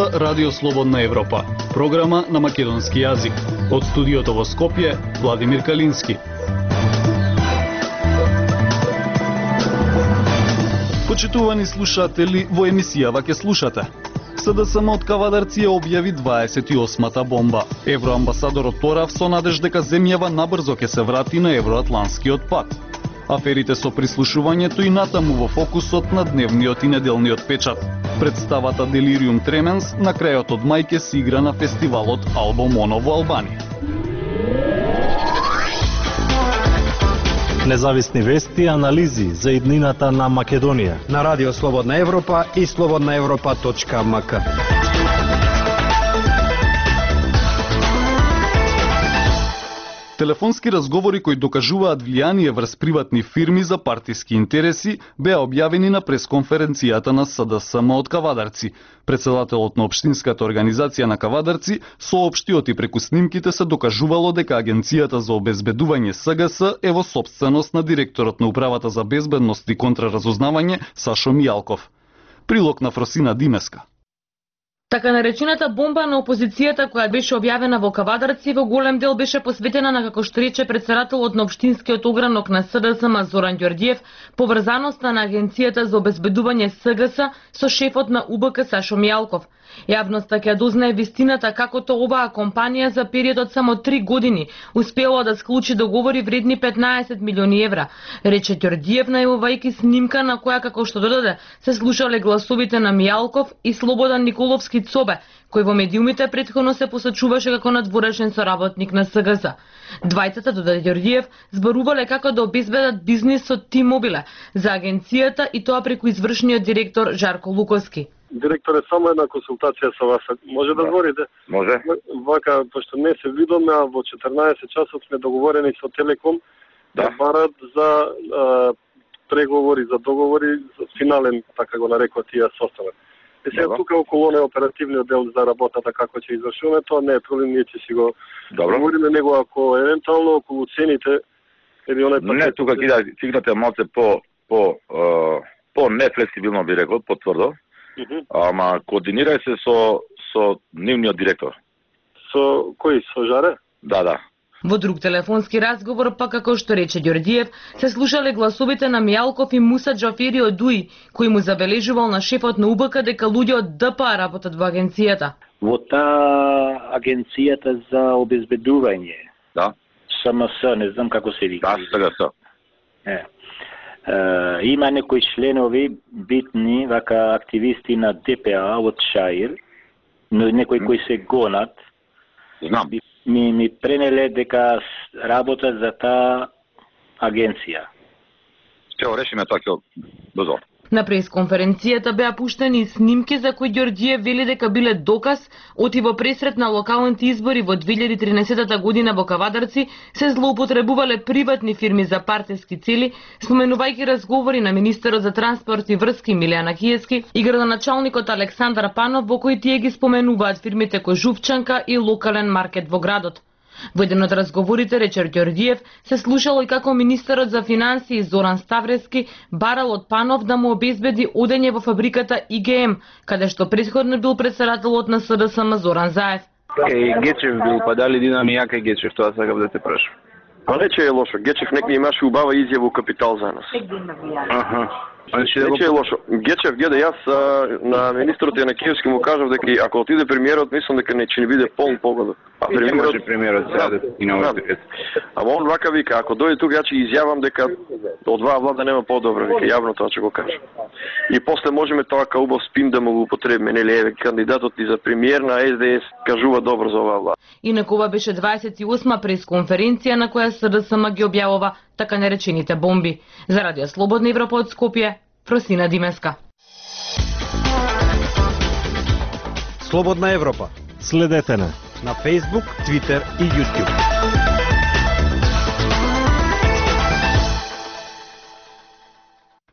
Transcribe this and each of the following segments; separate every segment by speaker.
Speaker 1: слуша Радио Слободна Европа, програма на македонски јазик. Од студиото во Скопје, Владимир Калински. Почитувани слушатели, во емисијава ќе слушате. СДСМ од Кавадарци ја објави 28-та бомба. Евроамбасадорот порав со надеж дека земјава набрзо ќе се врати на евроатланскиот пат. Аферите со прислушувањето и натаму во фокусот на дневниот и неделниот печат. Представата Делириум Тременс на крајот од мај ќе се игра на фестивалот Албум Оно во Албанија.
Speaker 2: Независни вести и анализи за иднината на Македонија
Speaker 3: на Радио Слободна Европа и slobodnaevropa.mk.
Speaker 1: Телефонски разговори кои докажуваат влијание врз приватни фирми за партиски интереси беа објавени на пресконференцијата на СДСМ од Кавадарци. Председателот на општинската организација на Кавадарци соопшти оти преку снимките се докажувало дека Агенцијата за обезбедување СГС е во сопственост на директорот на Управата за безбедност и контраразузнавање Сашо Мијалков. Прилог на Фросина Димеска.
Speaker 4: Така наречената бомба на опозицијата која беше објавена во Кавадарци во голем дел беше посветена на, како што рече председателот на општинскиот огранок на СДСМ Зоран Ѓорѓиев, поврзаноста на Агенцијата за обезбедување СГС со шефот на УБК Сашо Мијалков. Јавноста ќе дознае вистината како то оваа компанија за период од само 3 години успела да склучи договори вредни 15 милиони евра, рече Ѓорѓиев најавувајќи снимка на која, како што додаде, се слушале гласовите на Мијалков и Слободан Николовски Цобе, кој во медиумите претходно се посочуваше како надворешен соработник на СГС. Двајцата, додаде Ѓорѓиев, зборувале како да обезбедат бизнис со T-Mobile за агенцијата и тоа преку извршниот директор Жарко Луковски.
Speaker 5: Директор е само една консултација со вас. Може да зборите?
Speaker 6: Може.
Speaker 5: Вака, пошто не се видоме, а во 14 часот сме договорени со Телеком да барат за преговори, за договори, за финален, така го нарекува тие состанок. И сега тука околу не оперативниот дел за работата како ќе извршуваме, тоа не е проблем, ние ќе си го договориме него, ако евентуално околу цените или онај пакет.
Speaker 6: Не, тука кидате малце по нефлексибилно би рекол, потврдо. Ама координирај се со нивниот директор.
Speaker 5: Со кој? Со Жаре?
Speaker 6: Да.
Speaker 4: Во друг телефонски разговор, па како што рече Ѓорѓиев, се слушале гласовите на Мијалков и Муса Џафери од ДУИ, кој му забележувал на шефот на УБК дека луѓе од ДПА работат во агенцијата.
Speaker 7: Во таа агенцијата за обезбедување.
Speaker 6: Да.
Speaker 7: СМС, не знам како се вика.
Speaker 6: Да, СГС.
Speaker 7: Има некои членови битни, вака активисти на ДПА од Шаир, но некои кои се гонат.
Speaker 6: Знам.
Speaker 7: Ми пренеле дека работат за таа агенција.
Speaker 6: Ќе го решиме тоа ќе брзо.
Speaker 4: На пресконференцијата беа пуштени снимки за кои Ѓорѓиев вели дека биле доказ оти во пресрет на локалните избори во 2013 година во Кавадарци се злоупотребувале приватни фирми за партиски цели, споменувајќи разговори на министерот за транспорт и врски Милијана Киески и градоначалникот Александар Панов, во кои тие ги споменуваат фирмите Кожувчанка и локален маркет во градот. Во еден од разговорите рече Ѓорѓиев се слушало и како министерот за финансии Зоран Ставрески барал од Панов да му обезбеди одење во фабриката ИГМ, каде што претходно бил председателот на СДСМ Зоран Заев.
Speaker 8: Гечев бил, па дали Динами јака Гечев, тоа сакав да те прашам.
Speaker 5: Па не че е лошо, Гечев некој имаше убава изјава у Капитал за нас. Не че е лошо. Гечев гледа, јас на министрот Јанакиевски му кажав дека ако отиде премиерот, мислам дека не ќе биде полн погода. А
Speaker 8: премиерот сега и на овој пакет.
Speaker 5: Ама он вака вика, ако дојде тука, ја ќе изјавам дека од оваа влада нема подобро, вика јавно тоа ќе го кажа. И после можеме тоа као убав спин да му го употребиме, нели еве кандидатот и за премиер на СДС кажува добро за оваа влада.
Speaker 4: Инаку ова беше 28-ма пресконференција на која СДСМ ги објавува така наречените бомби. За Радио Слободна Европа од Скопје, Фросина Димеска.
Speaker 3: Слободна Европа.
Speaker 2: Следете на
Speaker 3: Facebook, Twitter и YouTube.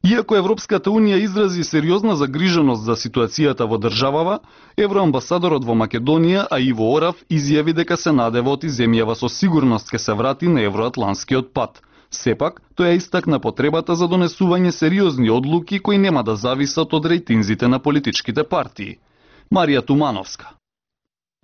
Speaker 1: Иако Европската Унија изрази сериозна загриженост за ситуацијата во државава, евроамбасадорот во Македонија, а Иво Орав, изјави дека се надева оти земјава со сигурност ќе се врати на евроатланскиот пат. Сепак, тој истакна потребата за донесување сериозни одлуки кои нема да зависат од рейтинзите на политичките партии. Марија Тумановска.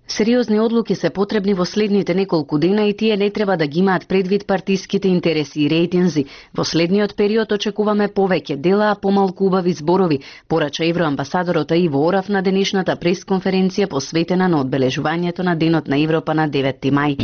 Speaker 9: Сериозни одлуки се потребни во следните неколку дена и тие не треба да ги имаат предвид партиските интереси и рейтинзи. Во следниот период очекуваме повеќе дела, а помалку убави зборови, порача евроамбасадорот Иво Орав на денешната пресконференција посветена на одбележувањето на Денот на Европа на 9 мај.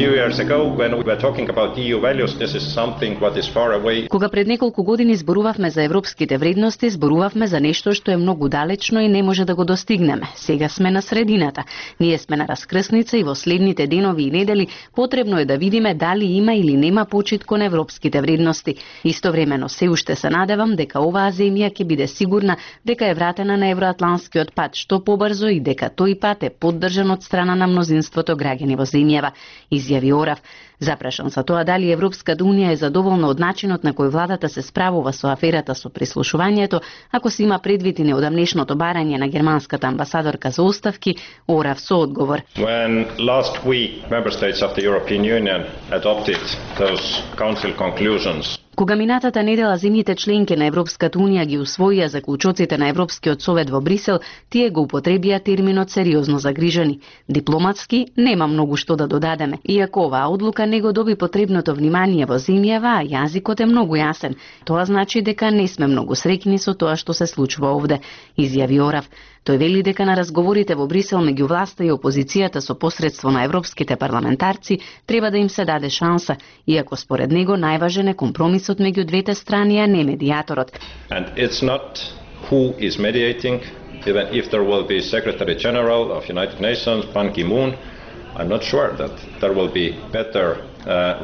Speaker 9: Кога пред неколку години зборувавме за европските вредности, зборувавме за нешто што е многу далечно и не може да го достигнеме. Сега сме на средината. Ние сме на крсница и во следните денови и недели потребно е да видиме дали има или нема почит кон европските вредности. Истовремено се уште се надевам дека оваа земја ќе биде сигурна дека е вратена на евроатланскиот пат што побрзо и дека тој пат е поддржан од страна на мнозинството граѓани во земјава, изјави Орав. Запрашан за тоа дали Европската унија е задоволна од начинот на кој владата се справува со аферата со прислушувањето, ако се има предвид и неодамнешното барање на германската амбасадорка за оставки, Орав со одговор.
Speaker 10: When last week member states of the European Union adopted those council conclusions,
Speaker 9: кога минатата недела земјите членки на Европската унија ги усвоија заклучоците на Европскиот совет во Брисел, тие го употребија терминот сериозно загрижени. Дипломатски нема многу што да додадеме, иако оваа одлука не го доби потребното внимание во земјава, а јазикот е многу јасен. Тоа значи дека не сме многу среќни со тоа што се случува овде, изјави Орав. Тој вели дека на разговорите во Брисел меѓу власта и опозицијата со посредство на европските парламентарци треба да им се даде шанса, иако според него најважен е компромисот меѓу двете страни, а не медиаторот.
Speaker 10: And it's not who is mediating, even if there will be Secretary General of United Nations, Ban Ki-moon, I'm not sure that there will be better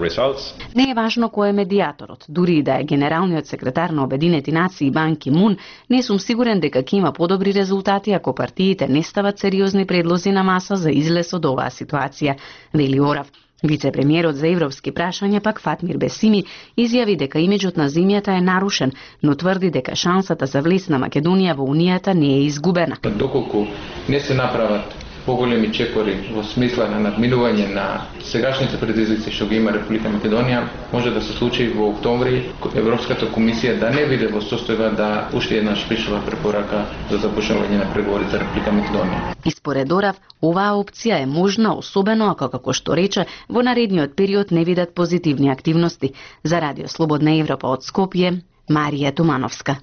Speaker 10: results.
Speaker 9: Не е важно кој е медиаторот, дури и да е генералниот секретар на Обединети нации Бан Ки-мун, не сум сигурен дека ќе има подобри резултати ако партиите не стават сериозни предлози на маса за излез од оваа ситуација, вели Орав. Вице-премиерот за европски прашања пак Фатмир Бесими изјави дека имиџот на земјата е нарушен, но тврди дека шансата за влез на Македонија во Унијата не е изгубена.
Speaker 11: Доколку не се направат поголеми чекори во смисла на надминување на сегашните предизвици што ги има Република Македонија, може да се случи во октомври Европската комисија да не биде во состојба да уште еднаш пишува препорака за започнување на преговори за Република Македонија.
Speaker 9: И според Орав, оваа опција е можна, особено ако, како што рече, во наредниот период не видат позитивни активности. За Радио Слободна Европа од Скопје, Марија Тумановска.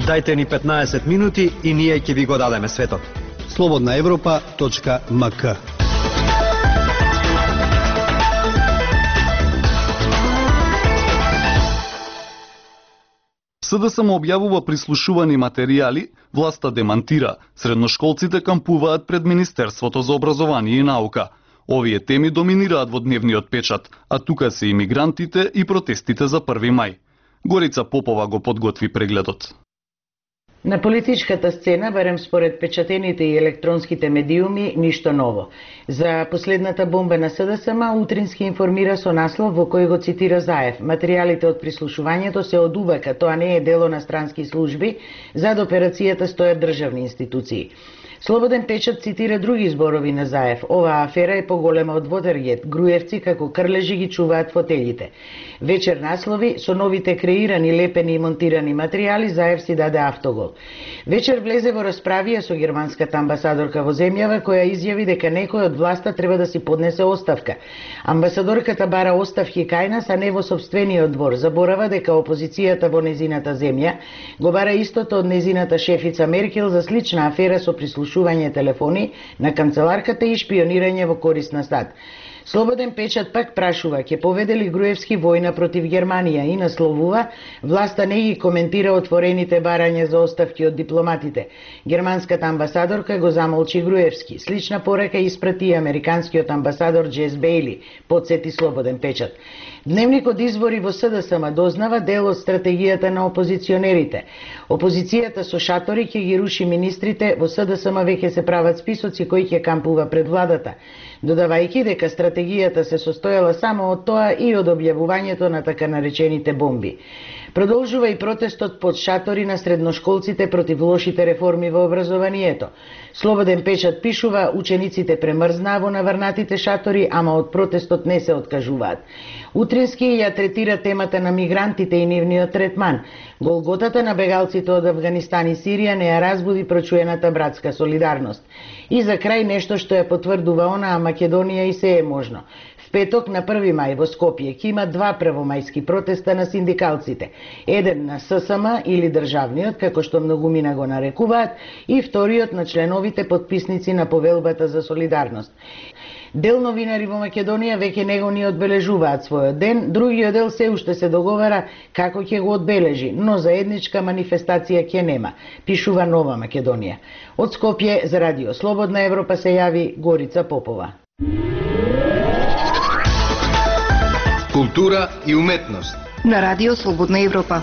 Speaker 3: Дајте ни 15 минути и ние ќе ви го дадеме светот.
Speaker 12: slobodnaevropa.mk.
Speaker 1: СДСМ објавува прислушувани материјали, власта демантира, средношколците кампуваат пред Министерството за образование и наука. Овие теми доминираат во дневниот печат, а тука се имигрантите и протестите за 1 мај. Горица Попова го подготви прегледот.
Speaker 13: На политичката сцена, барем според печатените и електронските медиуми, ништо ново. За последната бомба на СДСМ утрински информира со наслов во кој го цитира Заев. Материјалите од прислушувањето се од УВК, тоа не е дело на странски служби, зад операцијата стојат државни институции. Слободен печат цитира други зборови на Заев. Оваа афера е поголема од Watergate. Груевци како крлежи ги чуваат фотелите. Вечер наслови со новите креирани, лепени и монтирани материјали Заев си даде автогол. Вечер влезе во расправија со германската амбасадорка во земјава која изјави дека некој од власта треба да си поднесе оставка. Амбасадорката бара оставки кај нас, а не во сопствениот двор. Заборава дека опозицијата во незината земја го бара истото од незината шефица Меркел за слична афера со прислушување телефони на канцеларката и шпионирање во корист на САД. Слободен печат пак прашува, ќе поведе ли Груевски војна против Германија и насловува, власта не ги коментира отворените барања за оставки од дипломатите. Германската амбасадорка го замолчи Груевски. Слична порека испрати и американскиот амбасадор Джес Бейли, подсети Слободен печат. Дневникот извори во СДСМ дознава дел од стратегијата на опозиционерите. Опозицијата со шатори ќе ги руши министрите, во СДСМ веќе се прават списоци кои ќе кампува пред владата, додавајќи дека стратегијата се состоела само од тоа и од објавувањето на така наречените бомби. Продолжува и протестот под шатори на средношколците против лошите реформи во образованието. Слободен печат пишува, учениците премрзнаа во наврнатите шатори, ама од протестот не се откажуваат. Утрински ја третира темата на мигрантите и нивниот третман. Голготата на бегалците од Авганистан и Сирија не ја разбуди прочуената братска солидарност. И за крај нешто што ја потврдува онаа Македонија и се е можно. В петок на 1 мај во Скопје ќе има 2 првомајски протеста на синдикалците. Еден на ССМ или државниот, како што многумина го нарекуваат, и вториот на членовите потписници на повелбата за солидарност. Дел новинари во Македонија веќе него ни одбележуваат својот ден, другиот дел се уште се договара како ќе го одбележи, но заедничка манифестација ќе нема, пишува Нова Македонија. Од Скопје за Радио Слободна Европа се јави Горица Попова.
Speaker 12: Култура и уметност
Speaker 14: на Радио Слободна Европа.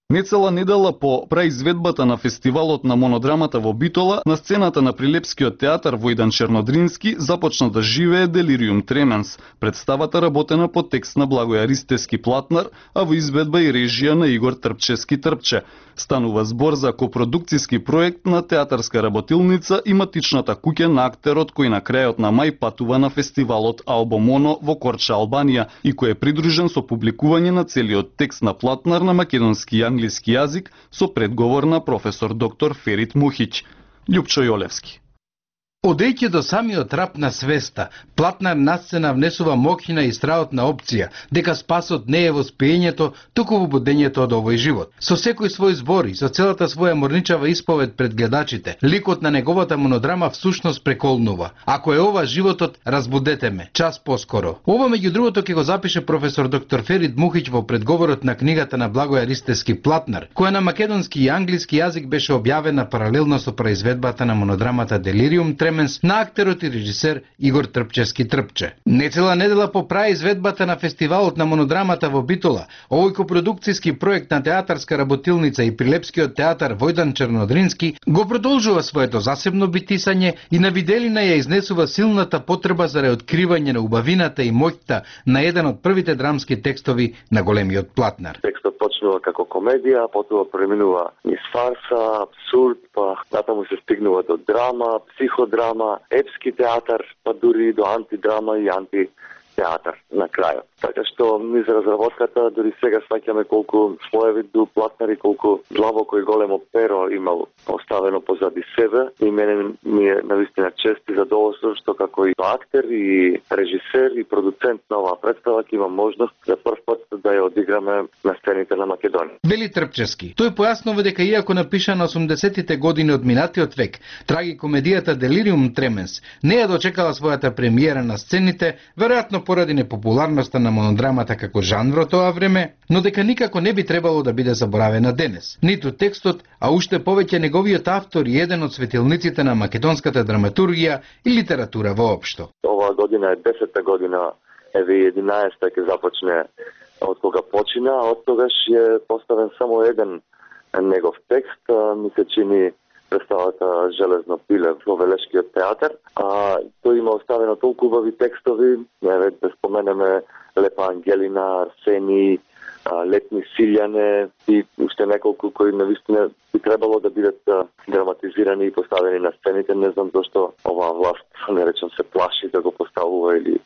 Speaker 1: Нецела недела по праизведбата на фестивалот на монодрамата во Битола, на сцената на Прилепскиот театар Војдан Чернодрински започна да живее Делириум Тременс. Представата работена по текст на Благоја Ристевски Платнар, а во изведба и режија на Игор Трпчевски Трпче. Станува збор за копродукцијски проект на театарска работилница и матичната куќа на актерот кој на крајот на мај патува на фестивалот Албомоно во Корча, Албанија и кој е придружен со публикување на целиот текст на Платнар на македонски и англиски јазик со предговор на професор доктор Ферит Мухиќ. Љупчо Јолевски.
Speaker 15: Одејќи до самиот рап на свеста, Платнар на сцена внесува моќна и страотна опција, дека спасот не е во спиењето, туку во будењето од овој живот. Со секој свој збор и со целата своја морничава исповед пред гледачите, ликот на неговата монодрама всушност преколнува. Ако е ова животот, разбудете ме, час поскоро. Ова меѓу другото ќе го запише професор доктор Ферит Мухиќ во предговорот на книгата на Благоја Ристевски Платнар, која на македонски и англиски јазик беше објавена паралелно со произведбата на монодрамата Делириум Тременс на актерот и режисер Игор Трпчевски Трпче. Нецела недела по праизведбата на фестивалот на монодрамата во Битола, овој копродукцијски проект на театарска работилница и Прилепскиот театар Војдан Чернодрински го продолжува своето засебно битисање и на виделина ја изнесува силната потреба за реоткривање на убавината и моќта на еден од првите драмски текстови на големиот Платнар.
Speaker 16: Текстот почнува како комедија, потоа преминува низ фарса, абсурд, па натаму се стигнува до драма, психодрама, епски театар, па дури до антидрама и антитеатар на крајот. Така што низ разработката дури сега сваќаме колку слоеви до Платнар и колку длабоко и големо перо имал оставено позади себе и мене ми е навистина чест и задоволство што како и актер и режисер и продуцент на оваа представа ќе имам можност за прв пат да ја одиграме на сцените на Македонија.
Speaker 15: Вели Трпчевски. Тој појаснува дека иако напиша на 80-тите години од минатиот век, трагикомедијата Делириум Тременс не ја дочекала својата премиера на сцените, веројатно поради непопуларноста на монодрамата како жанр во тоа време, но дека никако не би требало да биде заборавена денес. Ниту текстот, а уште повеќе неговиот автор и еден од светилниците на македонската драматургија и литература воопшто.
Speaker 16: Оваа година е 10-та година, еве 11-та ќе започне од кога почина, а од тогаш е поставен само еден негов текст, ми се чини представата Железно пиле во Велешкиот театар, а тој има оставено толку убави текстови, еве да споменеме Лепа Ангелина, Арсени, Летни Силјане и уште неколку кои навистина би требало да бидат драматизирани и поставени на сцените. Не знам зашто оваа власт, не речам, се плаши да го поставува или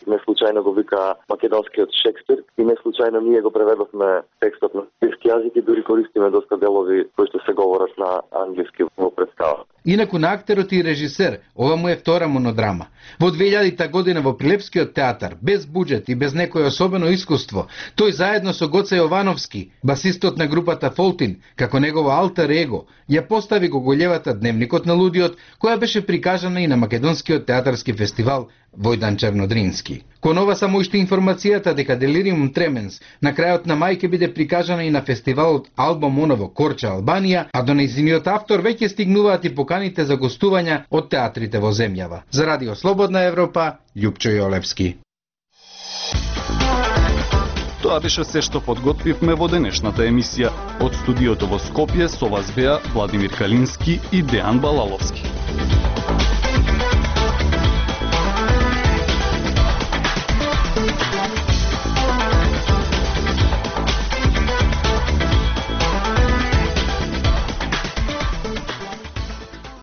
Speaker 16: не случајно го вика македонскиот Шекспир и не случајно ние го преведовме текстот на англиски јазик и дури користиме доста делови кои што се говорат на англиски во представа.
Speaker 15: Инаку на актерот и режисер, ова му е втора монодрама. Во 2000-та година во Прилепскиот театар, без буџет и без некое особено искуство, тој заедно со Гоце Јовановски, басистот на групата Фолтин, како негово алтер его, ја постави гоголевата Дневникот на лудиот, која беше прикажана и на Македонскиот театарски фестивал Војдан Чернодрински. Кон ова само уште информацијата дека Делириум Тременс на крајот на мај ќе биде прикажана и на фестивалот Албомоно во Корча, Албанија, а до нејзиниот автор веќе стигнуваат и поканите за гостувања од театрите во земјава. За Радио Слободна Европа, Љупчо Јолевски.
Speaker 1: Тоа беше се што подготвивме во денешната емисија. Од студиото во Скопје со вас беа Владимир Калински и Дејан Балаловски.